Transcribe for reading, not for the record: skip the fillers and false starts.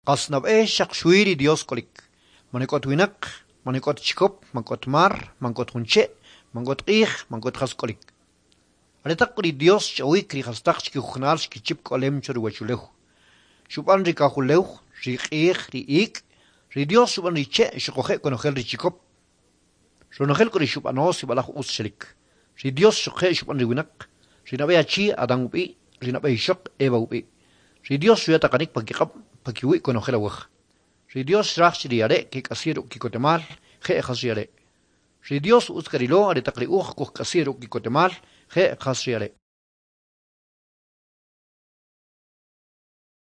Qas nab'e xaq xwi ri Dios k'olik. Man e k'ot winaq, man e k'ot chikop, man k'ot mar, man k'ot jun che', man k'ot q'ij, man k'ot jas k'olik. Aretaq k'u ri Dios xch'awik ri jastaq chkijujunal xkichip k'olem cho ri uwachulew. Xub'an ri kajulew, ri q'ij, ri ik', ri Dios xub'an ri che' xuquje' konojel ri chikop. Ronojel k'u ri xub'ano sib'alaj utz xelik. Ri Dios xuquje' xub'an ri winaq, ri nab'e achi Adán ub'i', ri nab'e ixoq Eva ub'i'. Ri Dios xuya taqanik pa kiq'ab' pa kiwi' konojel awaj. Ri Dios xraj chi ri are' kek'asi' ruk' ki'kotemal, je' jas ri are'. Ri Dios utz karilo aretaq ri uj kujk'asi' ruk' ki'kotemal, je' jas ri are'.